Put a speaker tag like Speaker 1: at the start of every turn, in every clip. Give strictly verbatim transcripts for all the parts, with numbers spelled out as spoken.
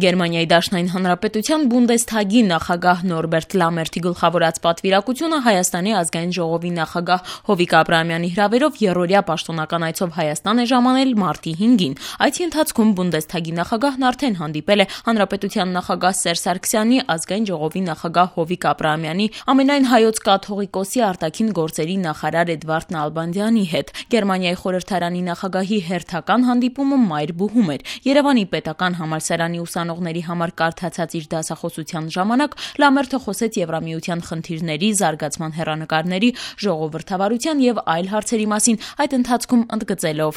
Speaker 1: Գերմանիայի Դաշնային Հանրապետության Բունդեսթագի նախագահ Նորբերտ Լամերթի գլխավորած պատվիրակությունը Հայաստանի ազգային ժողովի նախագահ Հովիկ Աբրահամյանի հրավերով եռօրյա պաշտոնական այցով Հայաստան է ժամանել մարտի հինգին։ Այցի ընթացքում Բունդեսթագի նախագահն արդեն հանդիպել է Հանրապետության նախագահ Սերժ Սարգսյանի, ազգային ժողովի նախագահ Հովիկ Աբրահամյանի, ամենայն հայոց կաթողիկոսի արտաքին գործերի նախարար Էդվարդ Նալբանդյանի հետ։ Գերմանիայի խորհրդարանի նախագահի հերթական հանդիպումը Մայրբուհում էր։ Երևանի պետական համալսարանի ուսանողների համար կարդացած իր դասախոսության ժամանակ Լամերթը խոսեց Եվրամիության խնդիրների, զարգացման հեռանկարների, ժողովրդավարության եւ այլ հարցերի մասին, այդ ընթացքում ընդգծելով.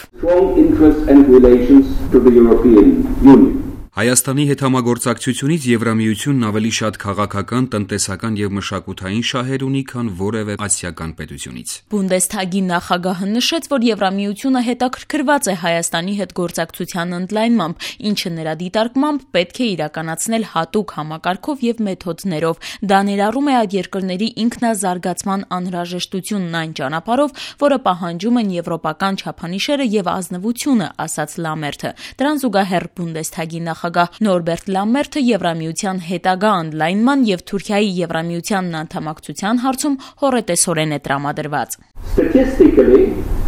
Speaker 2: Հայաստանի հետ համագործակցությունից Եվրամիությունն ավելի շատ քաղաքական, տնտեսական եւ մշակութային շահեր ունի, քան որևէ ասիական պետությունից։
Speaker 1: Բունդեսթագի նախագահը նշեց, որ Եվրամիությունը հետաքրքրված է Հայաստանի հետ գործակցության ընդլայնմամբ, ինչը նրա դիտարկմամբ պետք է իրականացնել հատուկ համակարգով եւ մեթոդներով։ Դա ներառում է այդ երկրների ինքնազարգացման անհրաժեշտությունն այն ճանապարհով, որը պահանջում են եվրոպական չափանիշերը եւ ազնվությունը, ասաց Լամերթը։ Դրան զուգահեռ Բունդեսթագի նախագահ Նախագահ Նորբերտ Լամերթը Եվրամիության հետագա ընդլայնման եւ Թուրքիայի Եվրամիությանն անդամակցության հարցում հոռետեսորեն է տրամադրված.
Speaker 3: Statistically,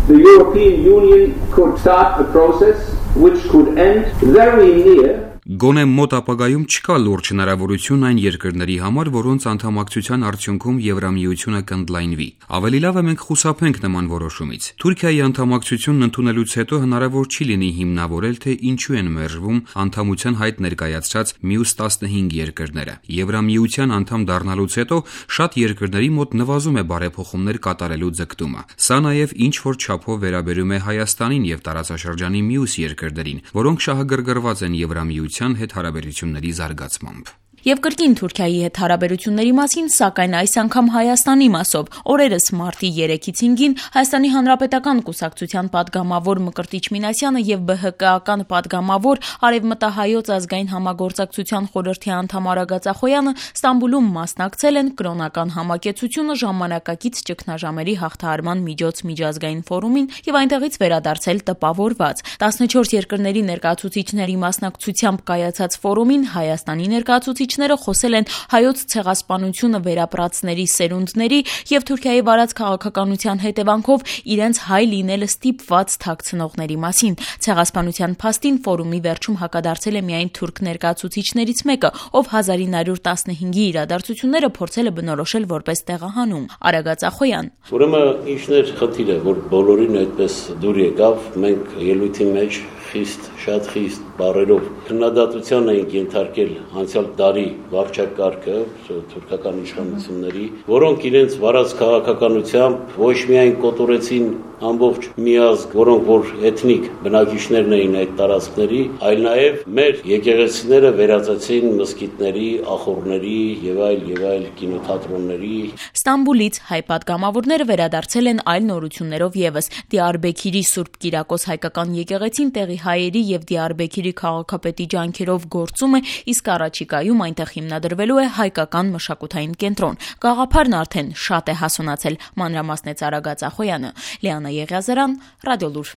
Speaker 3: the European Union could start a process which could end very near
Speaker 2: Գոնե մոտ ապագայում չկա լուրջ հնարավորություն այն երկրների համար, որոնց անդամակցության արդյունքում Եվրամիությունը կընդլայնվի։ Ավելի լավ է մենք խուսափենք նման որոշումից։ Թուրքիայի անդամակցությունն ընդունելուց հետո հնարավոր չի լինի հիմնավորել, թե ինչու են մերժվում անդամության հայտ ներկայացրած մյուս տասնհինգ երկրները։ Եվրամիության անդամ դառնալուց հետո շատ երկրների մոտ նվազում է բարեփոխումներ կատարելու ձգտումը։ Սա նաև ինչ որ չափով վերաբերում է Հայաստանին եւ տարածաշրջանի մյուս երկրներին, որոնք շահագրգռված են Եվրամիության հետ հարաբերությունների զարգացմամբ։
Speaker 1: Եվ կրկին Թուրքիայի հետ հարաբերությունների մասին, սակայն այս անգամ Հայաստանի մասով։ Օրերս մարտի երեքից հինգին Հայաստանի Հանրապետական կուսակցության падգամավոր Մկրտիչ Մինասյանը եւ ԲՀԿ-ական падգամավոր Արևմտահայոց ազգային համագործակցության խորհրդի անդամ Արա Գացախոյանը Ստամբուլում մասնակցել են կրոնական համակեցությունը ժամանակակից ճգնաժամերի հաղթահարման միջոց միջազգային ֆորումին եւ այնտեղից վերադարձել տպավորված։ տասնչորս երկրների ներկայացուցիչների մասնակցությամբ կայացած ֆորումին Հայաստանի ներկայացուցիչ խոսել են հայոց ցեղասպանությունը վերապրածների սերունդների եւ Թուրքիայի վարած քաղաքականության հետևանքով իրենց հայ լինելը ստիպված թաքցնողների մասին։ Ցեղասպանության փաստին ֆորումի վերջում հակադարձել է միայն թուրք ներկայացուցիչներից մեկը, ով հազար ինը հարյուր տասնհինգի իրադարձությունները փորձել է բնորոշել որպես տեղահանում։ Արա Գացախոյան.
Speaker 4: Ուրեմն ինչն էր խնդիրը, որ բոլորին այդպես դուր եկավ, մենք ելույթի մեջ խիստ, շատ խիստ բառերով քննադատության էինք ենթարկել անցյալ դարի վարչակարգը, թուրքական իշխանությունների, որոնք իրենց վարած քաղաքականությամբ ոչ միայն կոտորեցին ամբողջ միազգ, որոնք որ էթնիկ բնակիչներն էին այդ տարածքների, այլ նաև մեր եկեղեցիները վերածեցին մզկիթների, ախոռների եւ այլ եւ այլ կինոթատրոնների։
Speaker 1: Ստամբուլից հայ падգամավորները վերադարձել են այլ նորություններով եւս։ Դիարբեքիրի Սուրբ Կիրակոս հայկական եկեղեցին տեղի հայերի եւ Դիարբեքիրի քաղաքապետի ջանքերով գործում է, իսկ առաջիկայում այնտեղ հիմնադրվելու է հայկական մշակութային կենտրոն։ Գաղափարն արդեն շատ է հասունացել, մանրամասնեց Արա Գացախոյանը։ Լիանա Եղիազարյան, Ռադիոլուր։